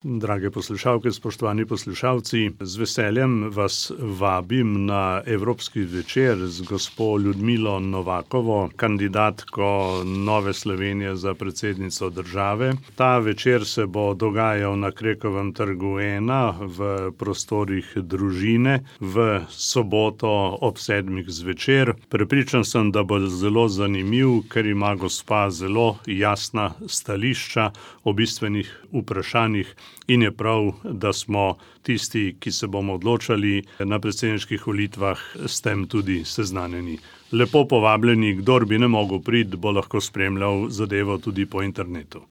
Drage poslušalke, spoštovani poslušalci, z veseljem vas vabim na Evropski večer z gospo Ljudmilo Novakovo, kandidatko Nove Slovenije za predsednico države. Ta večer se bo dogajal na Krekovem trgu 1 v prostorih Družine v soboto ob 7. zvečer. Prepričan sem, da bo zelo zanimiv, ker ima gospa zelo jasna stališča o bistvenih vprašanjih. In je prav, da smo tisti, ki se bomo odločali na predsedniških volitvah, s tem tudi seznanjeni. Lepo povabljeni, kdor bi ne mogel priti, bo lahko spremljal zadevo tudi po internetu.